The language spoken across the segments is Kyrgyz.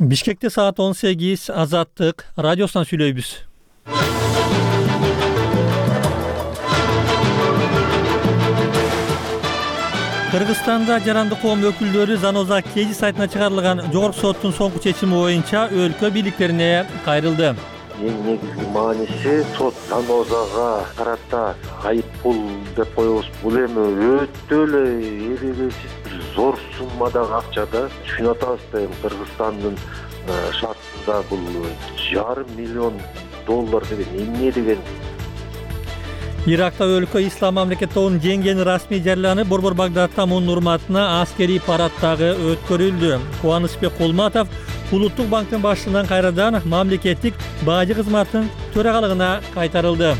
Бишкекте саат 18 Азаттык радиосунан сүйлөйбүз. Кыргызстанда жарандык коом өкүлдөрү Заноза Кези сайтына чыгарылган жогорку соттун соңку чечими боюнча өлкө бийликтерине кайрылды. Эң негизги мааниси сот Занозага карата айып пул деп коебуз. Бул эми өтө эле эребесиз бир зор суммадагы акчада. Түшүнүп атабыз да, эми Кыргызстандын шартында бул $500 миллион деген эмне деген. Иракта өлкө ислам мамлекет тобунун жеңгени расмий жарыяланып, Борбор Багдадта мунун урматына аскерий парад дагы өткөрүлдү. Кубанычбек Кулматов Улуттук банктын башчылыгынан кайрадан мамлекеттик бажы кызматынын төрагалыгына кайтарылды.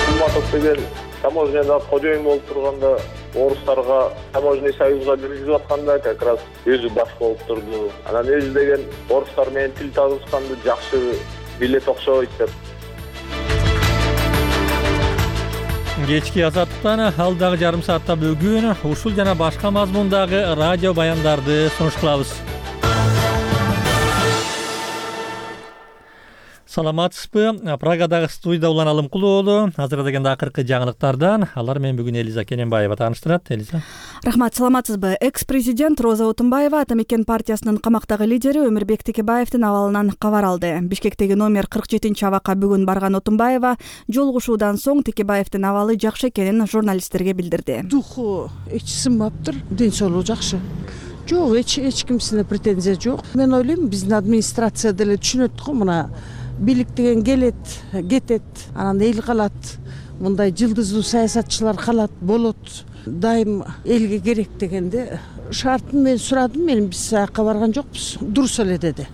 Кулматов деген таможняда кожоюн болуп турганда, орустарга таможенный союзга киргизип атканда как раз өзү баш болуп турду. Анан өзү деген орустар менен тил табышканды жакшы билет окшойт деп. Кечки Азаттыктан алдагы жарым саатта бүгүн ушул жана башка мазмундагы радио баяндарды сунуш кылабыз. Саламатсызбы? Прагадагы студияда Улан Алымкулуу уулу. Азыр дегенде акыркы жаңылыктардан алар менен бүгүн Элиза Кененбаева тааныштырат. Элиза. Рахмат, саламатсызбы? Экс-президент Роза Отунбаева Ата мекен партиясынын камактагы лидери Өмүрбек Текебаевдин абалынан кабар алды. Бишкектеги номер 47-абакка бүгүн барган Отунбаева жолугушуудан соң Текебаевдин абалы жакшы экенин журналисттерге билдирди. Духу эч сынбаптыр, ден соолугу жакшы. Жок, эч кимсине претензия жок. Мен ойлойм, биздин администрация деле түшүнөт го, мына бийлик деген келет, кетет, анан эл калат. Мындай жылдыздуу саясатчылар калат, болот. Дайым элге керек дегенде шартын мен сурадым, биз аяка барган жокпуз. Дурус эле деди.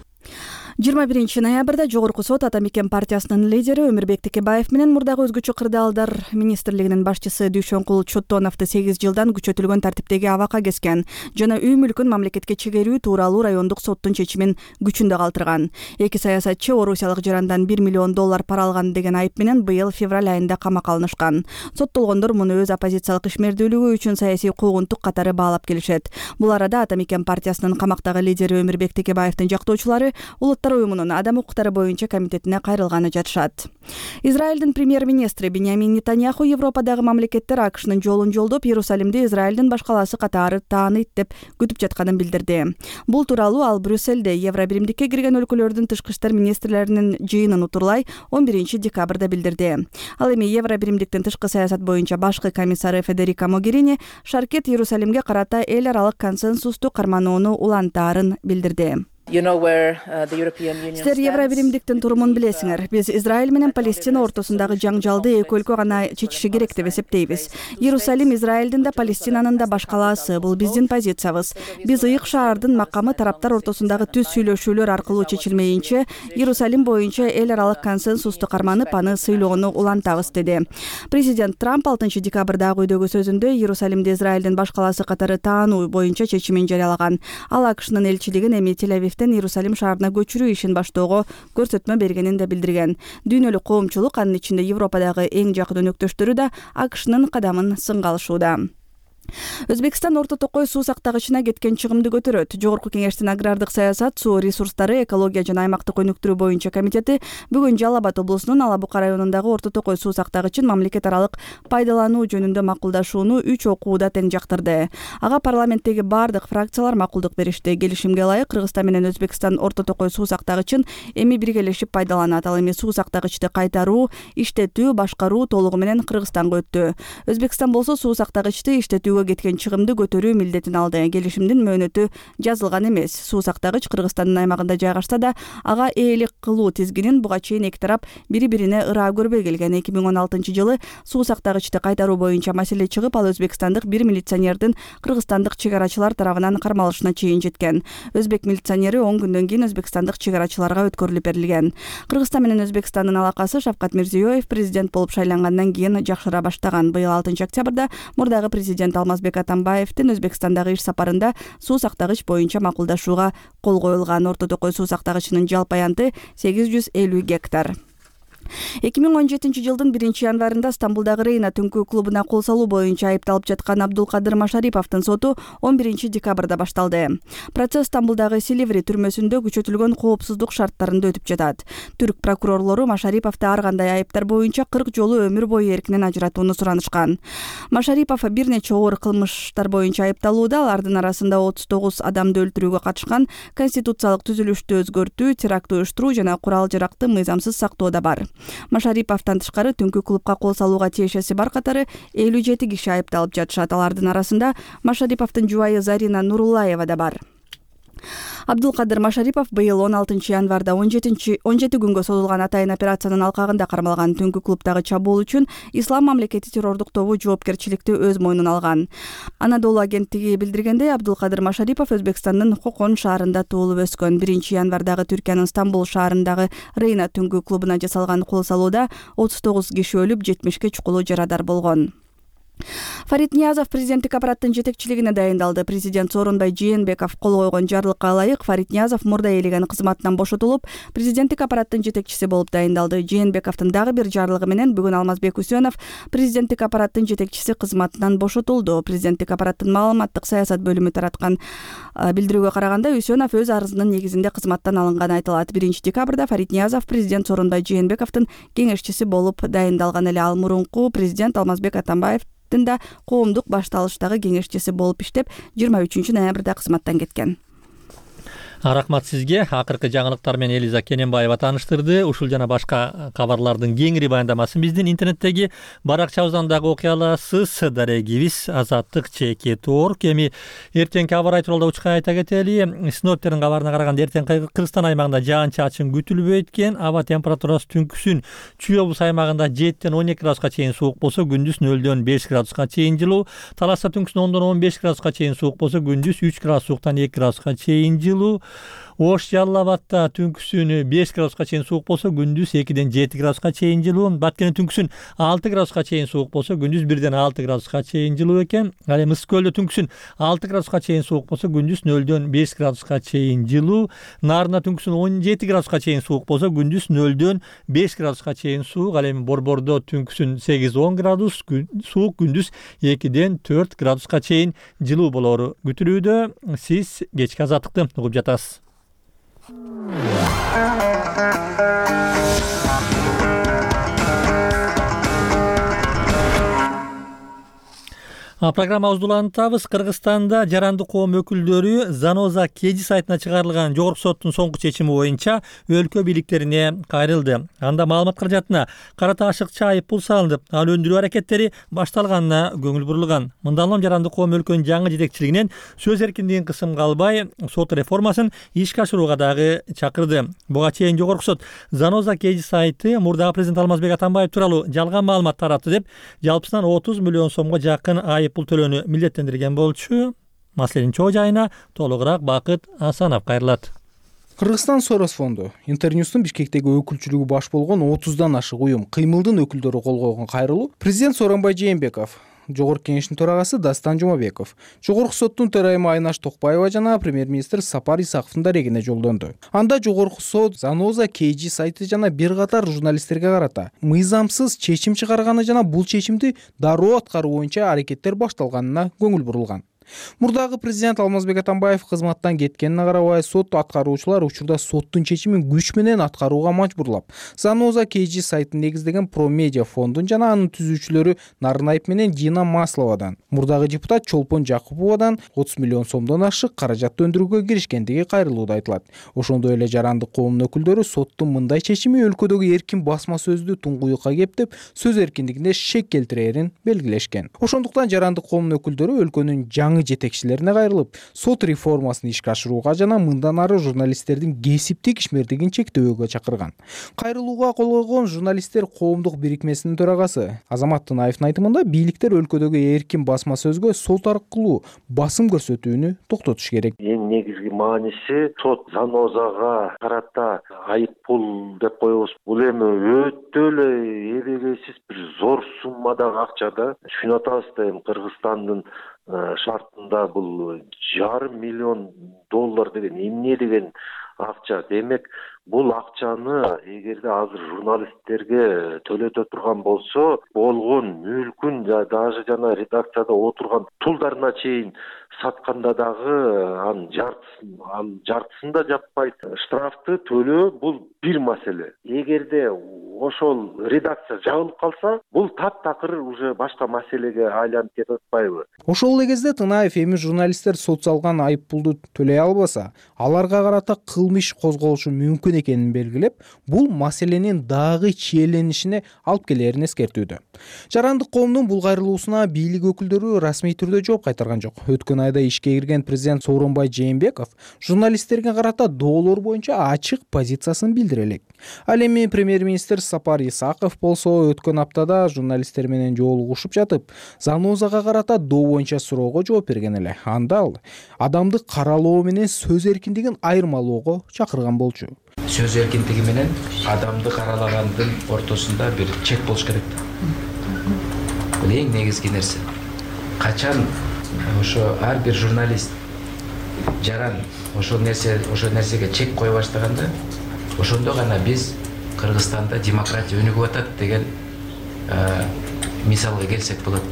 21 ноябрда жогорку сот Ата мекен партиясынын лидери Өмүрбек Текебаев менен мурдагы өзгөчө кырдаалдар министрлигинин башчысы Дүйшөнкул Чоттоновду 8 жылдан күчөтүлгөн тартиптеги абакка кескен жана үй мүлкүн мамлекетке чегерүү тууралуу райондук соттун чечимин күчүндө калтырган. Эки саясатчы орусиялык жарандан $1 миллион пара алган деген айып менен быйыл февраль айында камакка алынышкан. Соттолгондор муну өз оппозициялык ишмердүүлүгү үчүн саясий куугунтук катары баалап келишет. Бул арада Ата мекен партиясынын камактагы лидери Өмүрбек Текебаевдин жактоочулары уюмунун адам укуктары боюнча комитетине кайрылганы жатышат. Израилдин премьер-министри Биньямин Нетаньяху Европадагы мамлекеттер АКШнын жолун жолдоп, Иерусалимди Израилдин баш калаасы катары тааныйт деп күтүп жатканын билдирди. Бул тууралуу ал Брюссельде Евробиримдикке кирген өлкөлөрдүн тышкы иштер министрлеринин жыйынын утурлай 11 декабрда билдирди. Ал эми Евробиримдиктин тышкы саясат боюнча башкы комиссары Федерика Могерини Шаркет Иерусалимге карата эл аралык консенсусту карманууну улантаарын билдирди. Силер Евробиримдиктин турумун билесиңер. Биз Израиль менен Палестина ортосундагы жаңжалды эки өлкө гана чечиши керек деп эсептейбиз. Иерусалим Израилдин да Палестинанын да баш калаасы. Бул биздин позициябыз. Биз ыйык шаардын макамы тараптар ортосундагы түз сүйлөшүүлөр аркылуу чечилмейинче Иерусалим боюнча эл аралык консенсусту карманып, аны сыйлоону улантабыз, деди. Президент Трамп 6 декабрдагы үйдөгү сөзүндө Иерусалимди Израилдин баш калаасы катары таануу боюнча чечимин жарыялаган. Ал АКШнын элчилигин эми Тель-Авивден Иерусалим шаарына көчүрүү ишин баштоого көрсөтмө бергенин да билдирген. Дүйнөлүк коомчулук, анын ичинде Европадагы эң жакын өнөктөштөрү да АКШнын кадамын сынга алышууда. Өзбекстан Орто Токой суу сактагычына кеткен чыгымды көтөрөт. Жогорку кеңештин агрардык саясат, суу ресурстары, экология жана аймактык өнүктүрүү боюнча комитети бүгүн Жалал Абад облусунун Алабука районундагы Орто Токой суу сактагычын мамлекет аралык пайдалануу жөнүндө макулдашууну 3 окууда тең жактырды. Ага парламенттеги бардык фракциялар макулдук беришти. Келишимге ылайык Кыргызстан менен Өзбекстан Орто Токой суу сактагычын эми биргелешип пайдаланат. Ал эми суу сактагычты кайтаруу, иштетүү, башкаруу толугу менен Кыргызстанга өттү. Өзбекстан болсо суу сактагычты иштетүү кеткен чыгымды көтөрүү милдетин алды. Келишимдин мөөнөтү жазылган эмес. Суу сактагыч Кыргызстандын аймагында жайгашса да, ага ээлик кылуу тизгинин буга чейин эки тарап бири-бирине ыраа көрбөй келген. 2016 жылы суу сактагычты кайтаруу боюнча маселе чыгып, ал өзбекстандык бир милиционердин кыргызстандык чек арачылар тарабынан кармалышына чейин жеткен. Өзбек милиционери 10 күндөн кийин өзбекстандык чек арачыларга өткөрүлүп берилген. Кыргызстан менен Өзбекстандын алакасы Шавкат Мирзиёев президент болуп шайлангандан кийин жакшыра баштаган. Быйыл 6 октябрда мурдагы президент Алмазбек Атамбаевдин Өзбекстандагы иш сапарында суу сактагыч боюнча макулдашууга кол коюлган. Орто Токой суу сактагычынын жалпы аянты 850 гектар. 2017-жылдын 1-январында Стамбулдагы Рейна түнкү клубуна кол салуу боюнча айыпталып жаткан Абдулкадыр Машариповдун соту 11-декабрда башталды. Процесс Стамбулдагы Силиври түрмөсүндө күчөтүлгөн коопсуздук шарттарында өтүп жатат. Түрк прокурорлору Машариповду ар кандай айыптар боюнча 40 жолу өмүр бою эркинен ажыратууну суранышкан. Машарипов бир нече оор кылмыштар боюнча айыпталууда, алардын арасында 39 адамды өлтүрүүгө катышкан, конституциялык түзүлүштү өзгөртүү, теракт уюштуруу жана курал-жаракты мыйзамсыз сактоо да бар. Машариповдон тышкары түнкү клубка кол салууга тиешеси бар катары 57 киши айыпталып жатышат. Алардын арасында Машариповдун жубайы Зарина Нуруллаева да бар. Абдулкадыр Машарипов быйыл 16-январда 17 күнгө созулган атайын операциянын алкагында кармалган. Түнкү клубдагы чабуул үчүн Ислам мамлекети террордук тобу жоопкерчиликти өз мойнуна алган. Анадолу агенттиги билдиргендей, Абдулкадыр Машарипов Өзбекстандын Кокон шаарында туулуп өскөн. 1-январдагы Түркиянын Стамбул шаарындагы Рейна түнкү клубуна жасалган кол салууда 39 киши өлүп, 70 чукулуу жарадар болгон. Фарид Ниязов президенттик аппараттын жетекчилигине дайындалды. Президент Сооронбай Жээнбеков кол койгон жарлыкка ылайык Фарид Ниязов мурда ээлеген кызматынан бошотулуп, президенттик аппараттын жетекчиси болуп дайындалды. Жээнбековдун дагы бир жарлыгы менен бүгүн Алмазбек Үсөнов президенттик аппараттын жетекчиси кызматынан бошотулду. Президенттик аппараттын маалыматтык саясат бөлүмү тараткан билдирүүгө караганда, Үсөнов өз арызынын негизинде кызматтан алынганы айтылат. 1-декабрда Фарид Ниязов президент Сооронбай Жээнбековдун кеңешчиси болуп дайындалган эле. Ал мурунку президент Алмазбек Атамбаев да коомдук башталыштагы кеңешчиси болуп иштеп, 23-ноябрда кызматтан кеткен. Рахмат сизге. Акыркы жаңылыктар менен Элиза Кененбаева тааныштырды. Ушул жана башка кабарлардын кеңири баяндамасын биздин интернеттеги баракчабыздан дагы окуй аласыз. Дарегибиз azatlyk.org. Эми эртеңки аба ырайы тууралуу учка айта кетели. Синоптиктердин кабарына караганда эртең Кыргызстан аймагында жаан-чачын күтүлбөйт экен. Аба температурасы түнкүсүн Чүй облус аймагында 7-ден 12 градуска чейин суук болсо, күндүз 0-дөн 5 градуска чейин жылуу. Таласта түнкүсүн 10-дон 15 градуска чейин суук болсо, күндүз 3 градус сууктан 2 градуска чейин жылуу. Ош Жалал Абадта түнкүсүн 5 градуска чейин суук болсо, күндүз 2-ден 7 градуска чейин жылуу. Баткенде түнкүсүн 6 градуска чейин суук болсо, күндүз 1-ден 6 градуска чейин жылуу экен. Ал эми Ысык көлдө түнкүсүн 6 градуска чейин суук болсо, күндүз 0-дөн 5 градуска чейин жылуу. Нарында түнкүсүн 17 градуска чейин суук болсо, күндүз 0-дөн 5 градуска чейин суук. Ал эми Борбордо түнкүсүн 8-10 градус суук, күндүз 2-ден 4 градуска чейин жылуу болору күтүлүүдө. Сиз кечки азаттыкты угуп жатасыз. Программабызды улантабыз. Кыргызстанда жарандык коом өкүлдөрү Заноза Кежи сайтына чыгарылган жогорку соттун соңку чечими боюнча өлкө бийликтерине кайрылды. Анда маалымат каражатына карата ашыкча айыппул салынып, ал өндүрүү аракеттери башталганына көңүл бурулган. Мындан улам жарандык коом өлкөнүн жаңы жетекчилигинен сөз эркиндигин кысымга албай, сот реформасын ишке ашырууга дагы чакырды. Буга чейин жогорку сот Заноза Кежи сайты мурдагы президент Алмазбек Атамбаев тууралуу жалган маалымат таратты деп, жалпысынан 30 миллион сомго жакын айыппул төлөөнү милдеттендирген болчу. Маселенин чоо жайына толугураак Бакыт Асанов кайрылат. Кыргызстан Сорос фонду Интерньюстун Бишкектеги өкүлчүлүгү баш болгон 30дан ашык уюм кыймылдын өкүлдөрү кол койгон кайрылуу президент Сооронбай Жээнбеков, Жогорку кеңештин төрагасы Дастан Жумабеков, Жогорку соттун төрайымы Айнаш Токпаева жана премьер-министр Сапар Исаковдун дарегине жолдонду. Анда Жогорку сот Заноза Кежи сайты жана бир катар журналисттерге карата мыйзамсыз чечим чыгарганы жана бул чечимди дароо аткаруу боюнча аракеттер башталганына көңүл бурулган. Мурдагы президент Алмазбек Атамбаев кызматтан кеткенине карабай, сот аткаруучулар учурда соттун чечимин күч менен аткарууга мажбурлап, Заноза Кежи сайтын негиздеген Промедиа фондун жана анын түзүүчүлөрү Нарынаев менен Дина Масловадан, мурдагы депутат Чолпон Жакуповадан 30 миллион сомдон ашык каражатты өндүрүүгө киришкендиги кайрылууда айтылат. Ошондой эле жарандык коомдун өкүлдөрү соттун мындай чечими өлкөдөгү эркин басма сөздү туңгуюкка кептеп, сөз эркиндигине шек келтирээрин белгилешкен. Ошондуктан жарандык коомдун өкүлдөрү өлкөнүн жаңы жетекчилерине кайрылып, сот реформасын ишке ашырууга жана мындан ары журналисттердин кесиптик ишмердигин чектөөгө чакырган. Кайрылууга кол койгон журналисттер коомдук бирикмесинин төрагасы Азамат Тынаевдин айтымында, бийликтер өлкөдөгү эркин басма сөзгө сот аркылуу басым көрсөтүүнү токтотуш керек. Эң негизги мааниси сот Занозага карата айыппул деп коебуз. Бул эми өтө эле эбегейсиз бир зор суммадагы акча да. Түшүнүп атабыз да, эми Кыргызстандын шартында бул $500 миллион деген эмне деген акча. Демек бул акчаны эгерде азыр журналисттерге төлөтө турган болсо, болгон мүлкүн даже жана редакцияда отурган тулдарына чейин сатканда дагы анын жартысын да жаппайт. Штрафты төлөө бул бир маселе. Эгерде ошол редакция жабылып калса, бул таптакыр уже башка маселеге айланып кетип атпайбы? Ошол эле кезде Тынаев эми журналисттер сот салган айып пулду төлөй албаса, аларга карата кылмыш козголушу мүмкүн экенин белгилеп, бул маселенин дагы чиеленишине алып келерин эскертүүдө. Жарандык коомдун бул кайрылуусуна бийлик өкүлдөрү расмий түрдө жооп кайтарган жок. Өткөн айда ишке кирген президент Сооронбай Жээнбеков журналисттерге карата доолор боюнча ачык позициясын билдире элек. Ал эми премьер-министр Сапар Исаков болсо өткөн аптада журналисттер менен жолугушуп жатып, Занозага карата доо боюнча суроого жооп берген эле. Анда ал адамдык каралоо менен сөз эркиндигин айырмалоого чакырган болчу. Сөз эркиндиги менен адамды каралагандын ортосунда бир чек болуш керек. Бул эң негизги нерсе. Качан ошо ар бир журналист жаран ошол нерсеге чек кое баштаганда, ошондо гана биз Кыргызстанда демократия өнүгүп атат деген мисалга келсек болот.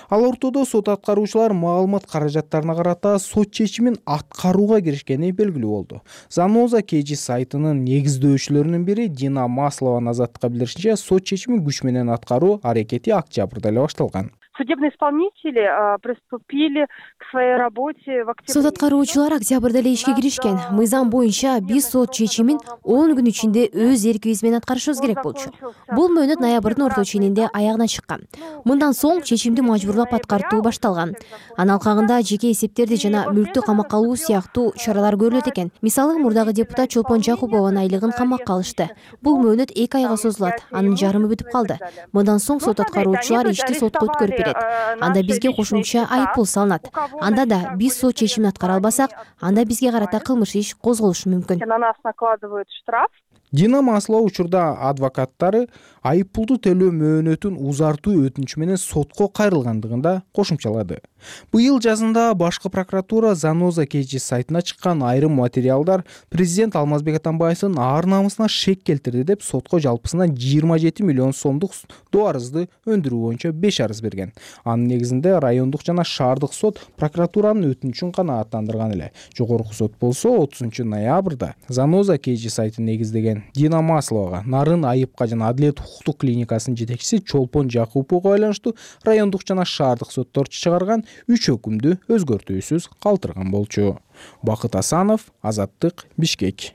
Ал ортодо сот аткаруучулар маалымат каражаттарына карата сот чечимин аткарууга киришкени белгилүү болду. Заноза KG сайтынын негиздөөчүлөрүнүн бири Дина Маслованын Азаттыкка билдиришинче, сот чечимин күч менен аткаруу аракети октябрда эле башталган. Судебные исполнители приступили к своей работе в октябре. Сот аткаруучулар октябрда эле ишке киришкен. Мыйзам боюнча биз сот чечимин 10 күн ичинде өз эркибиз менен аткарышыбыз керек болчу. Бул мөөнөт ноябрдын орто ченинде аягына чыккан. Мындан соң чечимди мажбурлап аткартуу башталган. Анын алкагында жеке эсептерди жана мүлктү камакка алуу сыяктуу чаралар көрүлөт экен. Мисалы, мурдагы депутат Чолпон Жакупованын айлыгын камакка алышты. Бул мөөнөт 2 айга созулат. Анын жарымы бүтүп калды. Мындан соң сот аткаруучулар ишти сотко өткөрүп берет. Анда бизге кошумча айыппул салынат. Анда да биз сот чечимин аткара албасак, анда бизге карата кылмыш иш козголушу мүмкүн. На нас накладывают штраф. Дина Маслова учурда адвокаттары айыппулду төлөө мөөнөтүн узартуу өтүнүчү менен сотко кайрылгандыгын да кошумчалады. Быйыл жазында башкы прокуратура Заноза KG сайтына чыккан айрым материалдар президент Алмазбек Атамбаевдин ар намысына шек келтирди деп сотко жалпысынан 27 миллион сомдук доо арызды өндүрүү боюнча 5 арыз берген. Анын негизинде райондук жана шаардык сот прокуратуранын өтүнүчүн канааттандырган эле. Жогорку сот болсо 30 ноябрда Заноза KG сайтын негиздеген Дина Масловага нарын айыпка жана Адилет укуктук клиникасынын жетекчиси Чолпон Жакуповго байланыштуу райондук жана шаардык соттор чыгарган 3 өкүмдү өзгөртүүсүз калтырган болчу. Бакыт Асанов, Азаттык, Бишкек.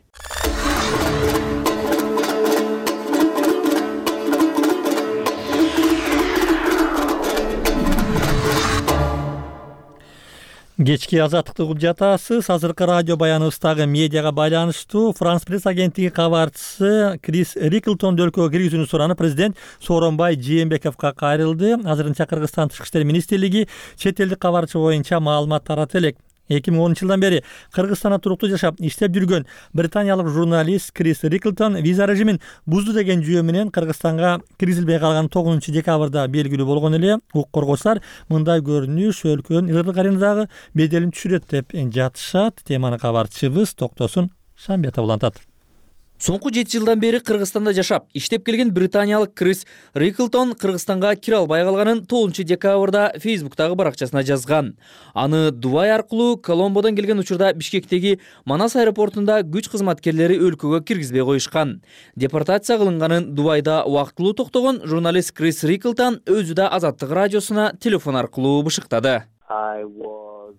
Кечки Азаттыкты угуп жатасыз. Азыркы радио баяныбыздагы медиага байланыштуу Франс пресс агенттиги кабарчысы Крис Риклтон өлкөгө киргизүүнү суранып президент Сооронбай Жээнбековго кайрылды. Азырынча Кыргызстан Тышкы иштер министрлиги чет элдик кабарчы боюнча маалымат таратып элек. 2010 жылдан бери Кыргызстанда туруктуу жашап иштеп жүргөн британиялык журналист Крис Риклтон виза режимин бузду деген жүйө менен Кыргызстанга киргизилбей калган 9 декабрда белгилүү болгон эле. Укук коргоочулар мындай көрүнүш өлкөнүн ыргырдык аренадагы беделин түшүрөт деп жатышат. Теманы кабарчыбыз Токтосун Шамбетов улантат. Соңку 7 жылдан бери Кыргызстанда жашап, иштеп келген британиялык Крис Риклтон Кыргызстанга кире албай калганын 9 декабрда Фейсбуктагы баракчасына жазган. Аны Дубай аркылуу Коломбодон келген учурда Бишкектеги Манас аэропортунда күч кызматкерлери өлкөгө киргизбей коюшкан. Депортация кылынганын Дубайда убактылуу токтогон журналист Крис Риклтон өзү да Азаттык радиосуна телефон аркылуу бышыктады.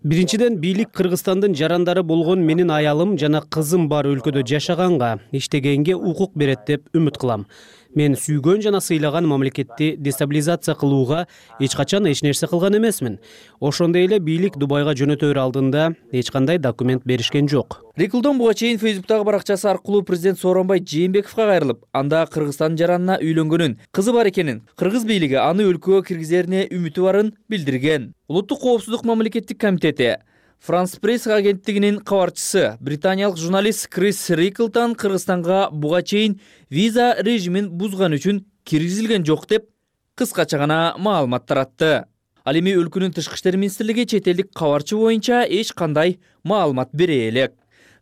Биринчиден, бийлик Кыргызстандын жарандары болгон менин аялым жана кызым бар өлкөдө жашаганга, иштегенге укук берет деп үмүт кылам. Мен сүйгөн жана сыйлаган мамлекетти дестабилизация кылууга эч качан эч нерсе кылган эмесмин. Ошондой эле бийлик Дубайга жөнөтөр алдында эч кандай документ беришкен жок. Риклтон буга чейин Фейсбуктагы баракчасы аркылуу президент Сооронбай Жээнбековго кайрылып, анда Кыргызстан жаранына үйлөнгөнүн, кызы бар экенин, кыргыз бийлиги аны өлкөгө киргизерине үмүтү барын билдирген. Улуттук коопсуздук мамлекеттик комитети Франс пресс агенттигинин кабарчысы британиялык журналист Крис Риклтон Кыргызстанга буга чейин виза режимин бузган үчүн киргизилген жок деп кыскача гана маалымат таратты. Ал эми өлкөнүн тышкы иштер министрлиги чет элдик кабарчы боюнча эч кандай маалымат бере элек.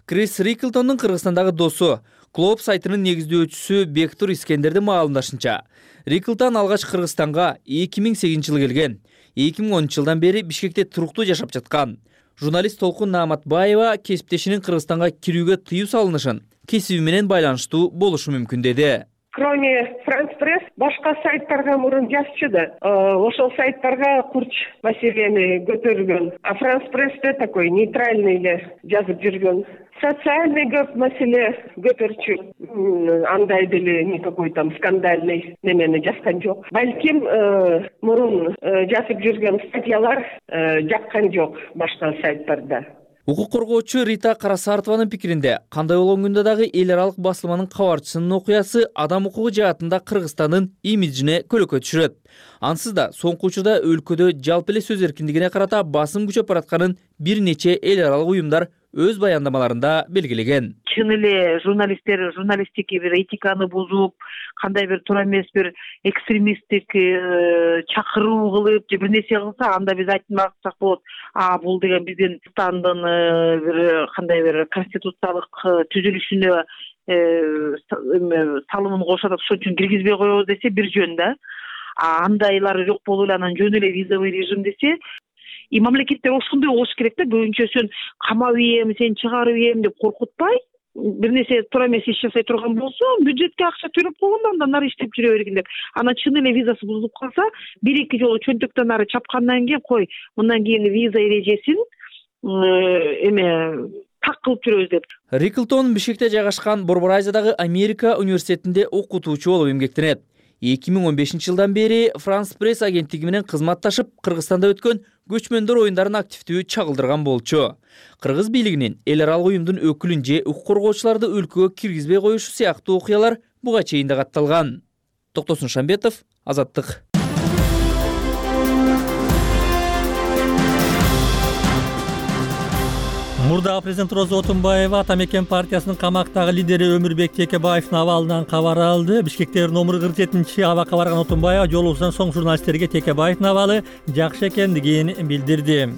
Крис Риклтондун Кыргызстандагы досу, Клоп сайтынын негиздөөчүсү Бектур Искендердин маалымдашынча, Риклтон алгач Кыргызстанга 2008-жылы келген. 2010-жылдан бери Бишкекте туруктуу жашап жаткан. Журналист Толкун Нааматбаева кесиптешинин Кыргызстанга кирүүгө тыюу салынышын кесиби менен байланыштуу болушу мүмкүн деди. Кроме France Press, башка сайттарга мурун жазчыды. Ошол сайттарга курч маселени көтөргөн. А France Press'те такой нейтральный эле жазып жүргөн. Социальный көп маселе көтөрчү. Андай деле никакой там скандальный немени жазган жок. Балким мурун жазып жүргөн статьялар жаккан жок башка сайттарда. Укук коргоочу Рита Карасартованын пикиринде, кандай болгондо дагы эл аралык басылманын кабарчысынын окуясы адам укугу жаатында Кыргызстандын имиджине көлөкө түшүрөт. Ансыз да соңку учурда өлкөдө жалпы эле сөз эркиндигине карата басым күчөп баратканын бир нече эл аралык уюмдар өз баяндамаларында белгилеген. Чын эле журналисттер журналистики бир этиканы бузуп, кандай бир туура эмес бир экстремисттик чакыруу кылып, же бир нерсе кылса, анда биз айтмаксак болот. Бул деген биздин Кыргызстандын бир кандай бир конституциялык түзүлүшүнө салымын кошот, ошон үчүн киргизбей коебуз десе бир жөн да. Андайлар жок болуп эле анан жөн эле визовый режим десе, и мамлекеттер ошондой болуш керек да, көбүнчө сен камап ийем, сен чыгарып ийем деп коркутпай, бир нерсе туура эмес иш жасай турган болсо, бюджетке акча төлөп койгондо андан ары иштеп жүрө бергин деп. Анан чын эле визасы бузулуп калса, бир-эки жолу чөнтөктөн ары чапкандан кийин кой, мындан кийин виза эрежесин так кылып жүрөбүз деп. Риклтон Бишкекте жайгашкан Борбор Азиядагы Америка университетинде окутуучу болуп эмгектенет. 2015-жылдан бери France Press агенттиги менен кызматташып, Кыргызстанда өткөн көчмөндөр оюндарын активдүү чагылдырган болчу. Кыргыз бийлигинин эл аралык уюмдун өкүлүн же укук коргоочуларды өлкөгө киргизбей коюшу сыяктуу окуялар буга чейин да катталган. Токтосун Шамбетов, Азаттык. Мурдагы президент Роза Отунбаева Ата Мекен партиясынын камактагы лидери Өмүрбек Текебаевдин абалынан кабар алды. Бишкектеги номер 47 абакка барган Отунбаева жолугусунан соң журналисттерге Текебаевдин абалы жакшы экендигин билдирди.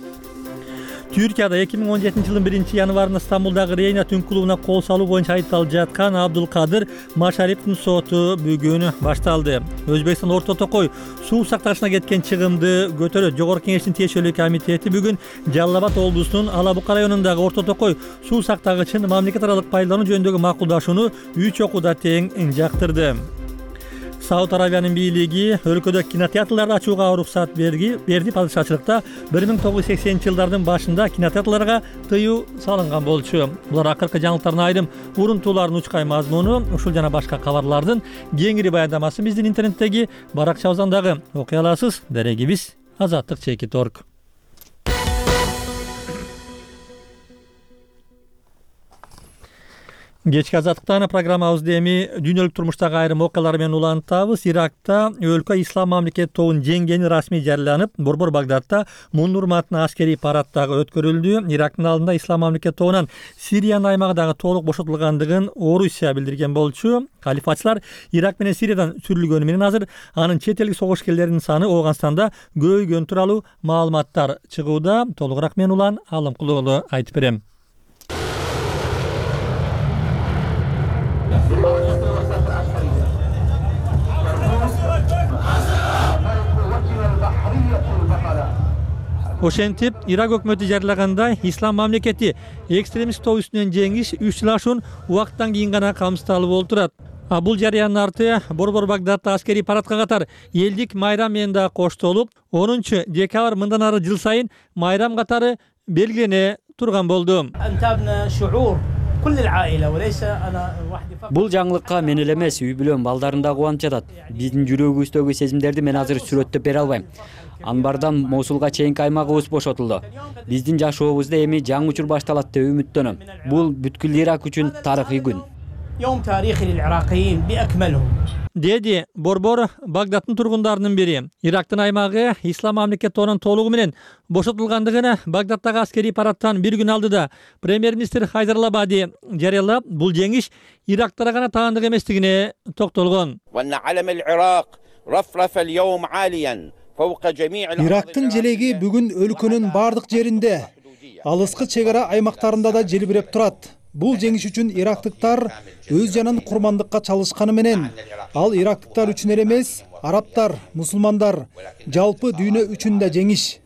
Түркияда 2017-жылдын 1-январында Стамбулдагы Рейна түн клубуна кол салуу боюнча айыпталып жаткан Абдулкадыр Машариповдун соту бүгүн башталды. Өзбекстан Орто Токой суу сактагычына кеткен чыгымды көтөрөт. Жогорку Кеңештин тиешелүү комитети бүгүн Жалал Абад облусунун Ала Бука районундагы Орто Токой суу сактагычын мамлекет аралык пайдалануу жөнүндөгү макулдашууну 3 окууда тең жактырды. Сауд Арабиянын бийлиги өлкөдө кинотеатрларды ачууга уруксат берди. Падышачылыкта 1980-жылдардын башында кинотеатрларга тыюу салынган болчу. Булар акыркы жаңылыктардын айрым урунтууларын учкай мазмуну, ушул жана башка кабарлардын кеңири баяндамасын биздин интернеттеги баракчабыздан дагы окуй аласыз. Дарегибиз Азаттык.org. Кечки Азаттыктан программабызды эми дүйнөлүк турмуштагы айрым окуялар менен улантабыз. Иракта өлкө ислам мамлекет тобун жеңгени расмий жарыяланып, Борбор Багдадта мун урматына аскерий парад дагы өткөрүлдү. Ирактын алдында ислам мамлекет тобунан Сириянын аймагы дагы толук бошотулгандыгын Орусия билдирген болчу. Калифатчылар Ирак менен Сириядан сүрүлгөнү менен азыр анын чет элдик согушкерлеринин саны Ооганстанда көбөйгөнү тууралуу маалыматтар чыгууда. Толугураак мен Улан Алымкулуу уулу айтып берем. Ошентип, Ирак өкмөтү жарыялагандай ислам мамлекети экстремист топ үстүнөн жеңиш 3 жыл ашуун убакыттан кийин гана камсыздалып олтурат. Бул жарыянын арты Борбор Багдадта аскерий парадка катар элдик майрам менен да коштолуп, 10-декабрь мындан ары жыл сайын майрам катары белгилене турган болду. Бул жаңылыкка мен эле эмес, үй бүлөм, балдарым да кубанып жатат. Биздин жүрөгүбүздөгү сезимдерди мен азыр сүрөттөп бере албайм. Анбардан Мосулга чейинки аймагыбыз бошотулду. Биздин жашообузда эми жаңы учур башталат деп үмүттөнөм. Бул бүткүл Ирак үчүн тарыхый күн. Деди Борбор Багдадтын тургундарынын бири. Ирактын аймагы ислам мамлекет тобунан толугу менен бошотулгандыгын Багдадтагы аскерий парадтан бир күн алдыда премьер-министр Хайдар Алабади жарыялап, бул жеңиш Ирактара гана таандык эместигине токтолгон. Ирактын желеги бүгүн өлкөнүн бардык жеринде, алыскы чек ара аймактарында да желбиреп турат. Бул жеңиш үчүн ирактыктар өз жанын курмандыкка чалышканы менен ал ирактыктар үчүн эле эмес, арабтар, мусулмандар, жалпы дүйнө үчүн да жеңиш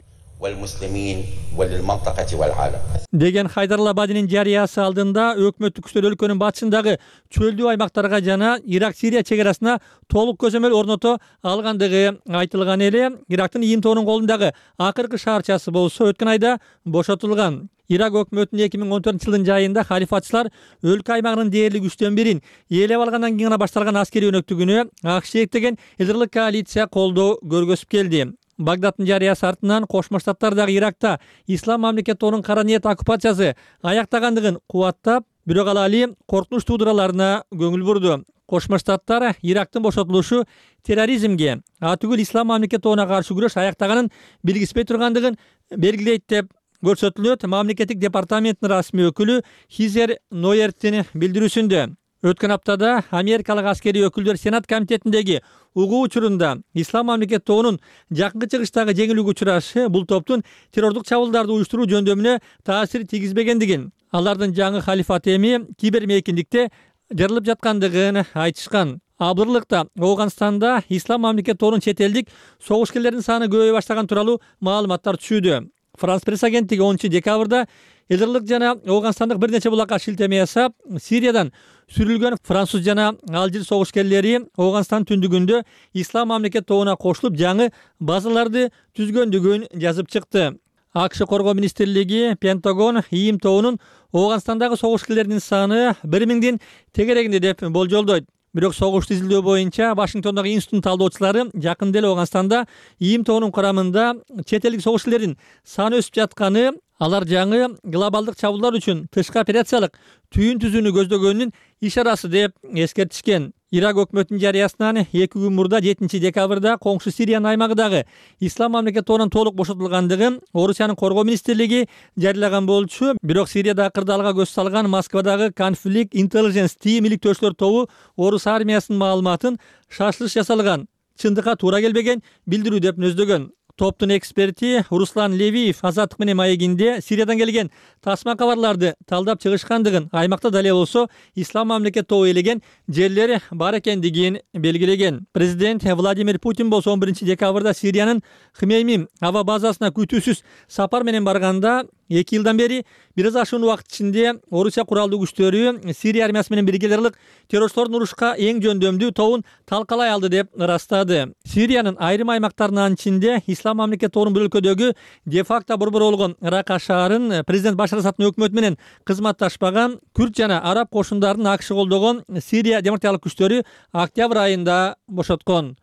деген Хайдар Абадинин жарыясы алдында өкмөттүк күчтөр өлкөнүн батышындагы чөлдүү аймактарга жана Ирак-Сирия чек арасына толук көзөмөл орното алгандыгы айтылган эле. Ирактын ИИМ-тобунун колундагы акыркы шаарчасы болсо өткөн айда бошотулган. Ирак өкмөтүнүн 2014-жылдын жайында халифатчылар өлкө аймагынын дээрлик 3төн 1-ин ээлеп алгандан кийин гана башталган аскерий өнөктүгүнө АКШ деген элдирлик коалиция колдоо көргөзүп келди. Багдадтын жарыясы артынан Кошмо Штаттардагы Иракта ислам мамлекетинин кара ниет оккупациясы аяктагандыгын кубаттап, бирок ал али коркунуч туудураларына көңүл бурду. Кошмо Штаттар Ирактын бошотулушу терроризмге, атүгүл ислам мамлекетине каршы күрөш аяктаганын билгиспей тургандыгын белгилейт деп көрсөтүлөт. Мамлекеттик департаменттин расмий өкүлү Хизер Нойерттин билдирүүсүндө. Өткөн аптада америкалык аскерий өкүлдөр Сенат комитетиндеги угуу учурунда ислам мамлекет тобунун жакынкы чыгыштагы жеңилүүгө учурашы бул топтун террордук чабуулдарды уюштуруу жөндөмүнө таасир тийгизбегендигин, алардын жаңы халифаты эми кибермейкиндикте жарылып жаткандыгын айтышкан. Абдырлыкта Ооганстанда ислам мамлекет тобунун чет элдик согушкерлердин саны көбөйө баштаган тууралуу маалыматтар түшүүдө. Франс пресс агенттиги 10 декабрда Элдирлик жана Ооганстандык бир нече булакка шилтеме жасап, Сириядан сүрүлгөн француз жана алжир согушкерлери Ооганстан түндүгүндө ислам мамлекет тобуна кошулуп жаңы базаларды түзгөндүгүн жазып чыкты. АКШ коргоо министрлиги Пентагон ИИМ тобунун Ооганстандагы согушкерлердин саны 1000дин тегерегинде деп болжолдойт. Бирок согушту изилдөө боюнча Вашингтондогу институттун талдоочулары жакында эле Ооганстанда ИИМ тобунун курамында чет элдик согушкерлердин саны өсүп жатканы, алар жаңы глобалдык чабуулдар үчүн тышкы операциялык түйүн түзүүнү көздөгөнүнүн ишарасы деп эскертишкен. Ирак өкмөтүнүн жарыясынан 2 күн мурда 7 декабрда коңшу Сириянын аймагындагы ислам мамлекет тобунан толук бошотулгандыгын Орусиянын коргоо министрлиги жарыялаган болчу. Бирок Сирияда кырдаалга көз салган Москвадагы Conflict Intelligence Team иликтөөчүлөр тобу Орус армиясынын маалыматын шашылыш жасалган, чындыкка туура келбеген билдирүү деп нөздөгөн. Топтун эксперти Руслан Левиев Азаттык менен маегинде Сириядан келген тасма кабарларды талдап чыгышкандыгын, аймакта дале болсо ислам мамлекет тобу ээлеген жерлер бар экендигин белгилеген. Президент Владимир Путин болсо 11 декабрда Сириянын Хмеймим аба базасына күтүүсүз сапар менен барганда 2 жылдан бери бир аз ашуун убакыт ичинде Орусия куралдуу күчтөрү Сирия армиясы менен бирге элдирлик террорчулардын урушка эң жөндөмдүү тобун талкалай алды деп ырастады. Сириянын айрым аймактарынын ичинде ислам мамлекет тобунун бул өлкөдөгү де-факто борбор болгон Рака шаарын президент Башар Асадтын өкмөтү менен кызматташпаган күрд жана араб кошундарын АКШ колдогон Сирия демократиялык күчтөрү октябрь айында бошоткон.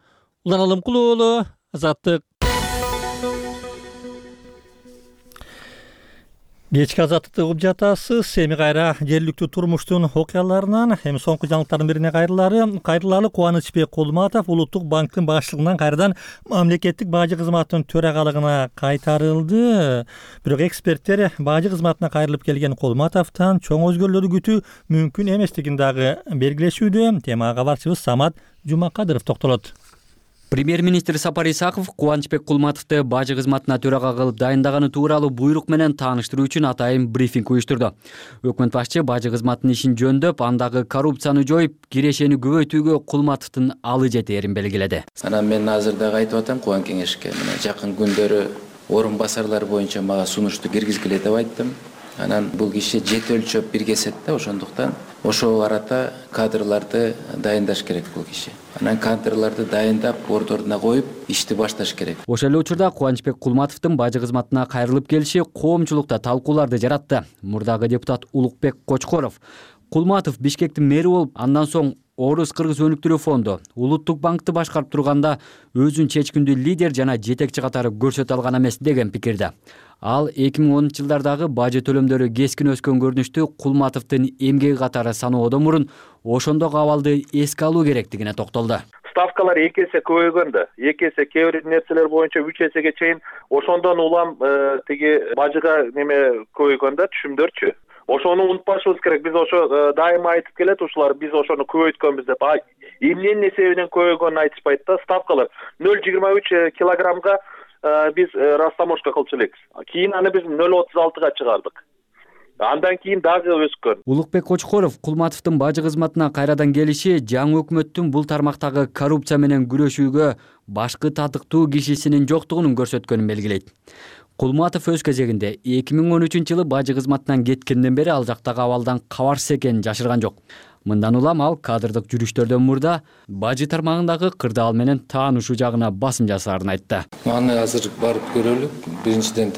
Улан Алымкулуу уулу, Азаттык. Кечки Азаттыкты угуп жатасыз. Эми кайра жергиликтүү турмуштун окуяларынан эми соңку жаңылыктардын бирине кайрылалы Кубанычбек Кулматов Улуттук банктын башчылыгынан кайрадан мамлекеттик бажы кызматынын төрагалыгына кайтарылды. Бирок эксперттер бажы кызматына кайрылып келген Кулматовдон чоң өзгөрүүлөрдү күтүү мүмкүн эместигин дагы белгилешүүдө. Темага кабарчыбыз Самат Жумакадыров токтолот. Премьер-министр Сапар Исаков Кубанычбек Кулматовду бажы кызматына төрага кылып дайындаганы тууралуу буйрук менен тааныштыруу үчүн атайын брифинг уюштурду. Өкмөт башчы бажы кызматынын ишин жөндөп, андагы коррупцияны жоюп, кирешени көбөйтүүгө Кулматовдун алы жетээрин белгиледи. Анан мен азыр дагы айтып атам Кубан кеңешке, мына жакын күндөрү орун басарлар боюнча мага сунушту киргизгиле деп айттым. Анан бул киши жет өлчөп бир кесет да, ошондуктан ошол арата кадрларды дайындаш керек бул киши. Анан кадрларды дайындап, ордоруна коюп, ишти башташ керек. Ошол эле учурда Кубанычбек Кулматовдун бажы кызматына кайрылып келиши коомчулукта талкууларды жаратты. Мурдагы депутат Улукбек Кочкоров Кулматов Бишкектин мэри болуп, андан соң Орус-Кыргыз өнүктүрүү фонду, Улуттук банкты башкарып турганда өзүн чечкиндүү лидер жана жетекчи катары көрсөтө алган эмес деген пикирде. Ал 2010-жылдардагы бажы төлөмдөрү кескин өскөн көрүнүштү Кулматовдун эмгеги катары саноодон мурун ошондогу абалды эске алуу керектигине токтолду. Ставкалар 2 эсе көбөйгөндө, 2 эсе кээ бир нерселер боюнча 3 эсеге чейин ошондон улам тиги бажыга неме көбөйгөндө түшүмдөрчү. Ошону унутпашыбыз керек. Биз ошо дайыма айтып келет ушулар, биз ошону көбөйткөнбүз деп. Эмненин себебинен көбөйгөнүн айтышпайт да. Ставкалар 0,23 килограммга биз растаможка кылчу элекпиз. Кийин аны биз 0,36га чыгардык. андан кийин дагы өскөн. Улукбек Кочкоров Кулматовдун бажы кызматына кайрадан келиши жаңы өкмөттүн бул тармактагы коррупция менен күрөшүүгө башкы татыктуу кишисинин жоктугун көрсөткөнүн белгилейт. Кулматов өз кезегинде 2013-жылы бажы кызматынан кеткенден бери ал жактагы абалдан кабарсыз экенин жашырган жок. Мындан улам ал кадрдык жүрүштөрдөн мурда бажы тармагындагы кырдаал менен таанышуу жагына басым жасаарын айтты. Аны азыр барып көрөлү. Биринчиден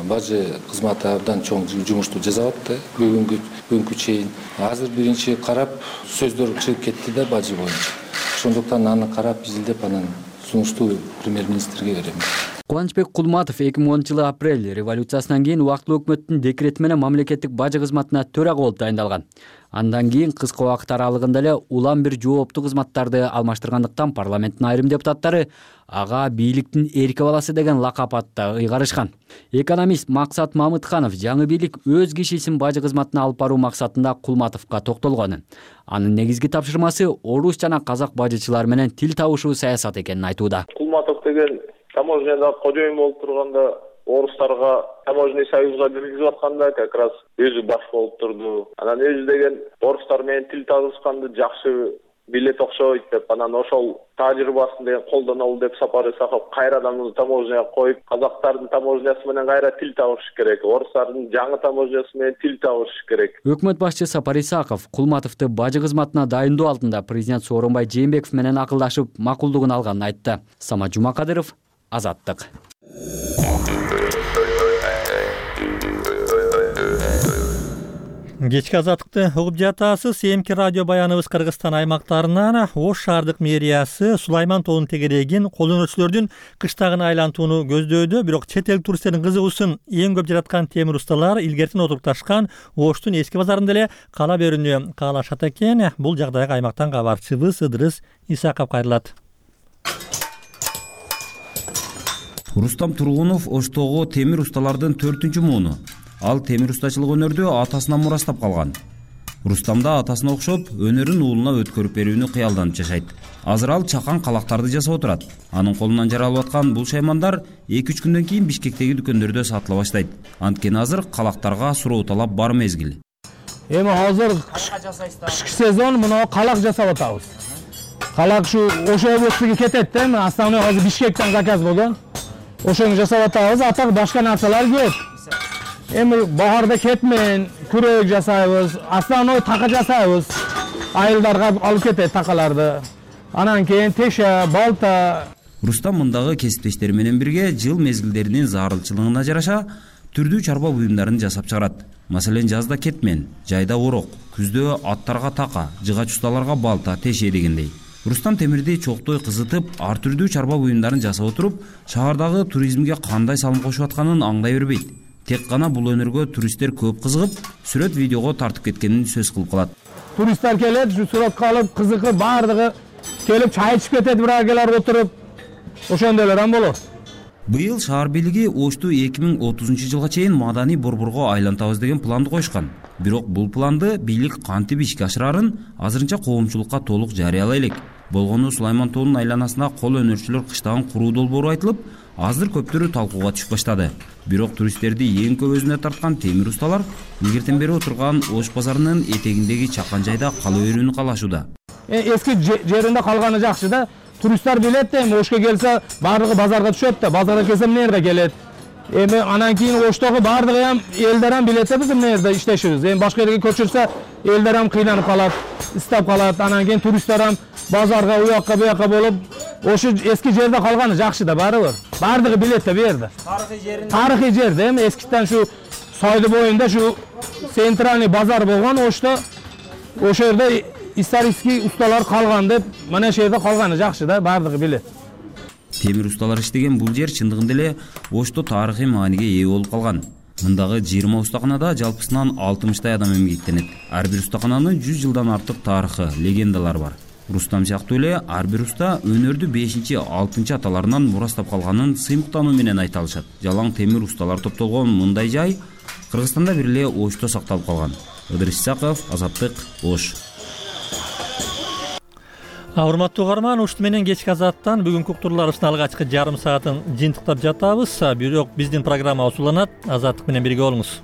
бажы кызматы абдан чоң жумушту жасап атты бүгүнкү чейин. Азыр биринчи карап сөздөр чыгып кетти да бажы боюнча. Ошондуктан аны карап изилдеп анан сунушту премьер-министрге беребиз. Кубанычбек Кулматов 2010-жылы апрель революциясынан кийин убактылуу өкмөттүн декрети менен мамлекеттик бажы кызматына төрага болуп дайындалган. Андан кийин кыска убакыт аралыгында эле улам бир жооптуу кызматтарды алмаштыргандыктан парламенттин айрым депутаттары ага бийликтин эрки баласы деген лакап атта ыйгарышкан. Экономист Максат Мамытканов жаңы бийлик өз кишисин бажы кызматына алып баруу максатында Кулматовго токтолгон. Анын негизги тапшырмасы орус жана казак бажычылар менен тил табышуу саясаты экенин айтууда. Кулматов деген таможняда кожоюн болуп турганда орустарга таможенный союзга киргизип атканда как раз өзү баш болуп турду. Анан өзү деген орустар менен тил табышканды жакшы билет окшойт деп, анан ошол тажрыйбасын деген колдонолу деп Сапар Исаков кайрадан таможняга коюп, казактардын таможнясы менен кайра тил табыш керек, орустардын жаңы таможнясы менен тил табыш керек. Өкмөт башчы Сапар Исаков Кулматовду бажы кызматына дайындоо алдында президент Сооронбай Жээнбеков менен акылдашып, макулдугун алганын айтты. Самат Жумакадыров, Азаттык. Кечки азаттыкты угуп жатасыз. Эмки радио баяныбыз Кыргызстан аймактарынан Ош шаардык мэриясы Сулайман тоонун тегерегин колдонуучулөрдүн кыштагын айлантууну көздөйдү. Бирок чет эл туристтердин кызыгуусун эң көп жараткан темирусталар илгертен отурукташкан Оштун эски базарында эле кала берүүнү каалашат экен. Бул жагдайга аймактан кабарчыбыз Ыдырыс Исаков кайрылат. Рустам Тургунов Оштогу темирусталардын 4-мууну. Ал темир устачылык өнөрдү атасынан мурастап калган. Рустам да атасына окшоп өнөрүн уулуна өткөрүп берүүнү кыялданып жашайт. Азыр ал чакан калактарды жасап отурат. Анын колунан жаралып аткан бул шаймандар 2-3 күндөн кийин Бишкектеги дүкөндөрдө сатыла баштайт. Анткени азыр калактарга суроо талап бар мезгил. Эми азыр кышкы сезон мына калак жасап атабыз. Калак ушу Ош областыга кетет да, основной азыр Бишкектен заказ болгон. Ошону жасап атабыз, атак башка нарсалар көп. Эми баарда кетмен, күрөк жасайбыз, основной така жасайбыз. Айылдарга алып кетет такаларды. Анан кийин теше, балта. Рустам мындагы кесиптештери менен бирге жыл мезгилдеринин зарылчылыгына жараша түрдүү чарба буюмдарын жасап чыгарат. Маселен, жазда кетмен, жайда орок, күздө аттарга така, жыгач усталарга балта, теше дегендей. Рустам темирди чоктой кызытып, ар түрдүү чарба буюмдарын жасап отуруп, шаардагы туризмге кандай салым кошуп атканын аңдай бербейт. Тек гана бул өнөргө туристтер көп кызыгып, сүрөт видеого тартып кеткенин сөз кылып калат. Туристтер келет, сүрөткө алып, кызыгып, баардыгы келип чай ичип кетет, бирок келер отуруп. Ошондой эле болот. Быйыл шаар бийлиги Ошту 2030-жылга чейин маданий борборго айлантабыз деген планды коюшкан. Бирок бул планды бийлик кантип ишке ашырарын азырынча коомчулукка толук жарыялай элек. Болгону Сулайман тоонун айланасына кол өнөрчүлөр кыштагын куруу долбоору айтылып, азыр көптөрү талкууга түшүп баштады. Бирок туристтерди эң көп өзүнө тарткан темирусталар илгертен бери отурган Ош базарынын этегиндеги чакан жайда кала берүүнү каалашууда. Эски жеринде калганы жакшы да. Туристтер билет да, эми Ошко келсе баардыгы базарга түшөт да. Базарга келсе эмне жерде келет. Эми анан кийин Оштогу баардыгы ham элдер ham билет да биз эмне жерде иштешибиз. Эми башка жерге көчүрсө элдер ham кыйнанып калат, истеп калат. Анан кийин туристтер ham базарга уякка буякка болуп, ошо эски жерде калганы жакшы да барыбыр. Баардыгы билет да бу жерде. Тарыхый жер да, эми эскиден шу Сойду боюнда шу центральный базар болгон Ошто. Ошо жерде исторический усталар калган деп, мына ошол жерде калганы жакшы да, баардыгы билет. Темир усталар иштеген бул жер чындыгында эле Ошто тарыхый мааниге ээ болуп калган. Мындагы 20 устаканада жалпысынан 60 адам эмгектенет. Ар бир устакананын 100 жылдан артык тарыхы, легендалар бар. Рустам сыяктуу эле ар бир уста өнөрдү 5-6 аталарынан мурастап калганын сыймыктануу менен айта алышат. Жалаң темир усталар топтолгон мындай жай Кыргызстанда бир эле Ошто сакталып калган. Ыдырыс Исаков, Азаттык, Ош. Урматтуу угарман, Ушт менен кечки азаттан бүгүнкү уктурууларыбыздын алгачкы жарым саатын жыйынтыктап жатабыз. Бирок биздин программа узуланат. Азаттык менен бирге болуңуз.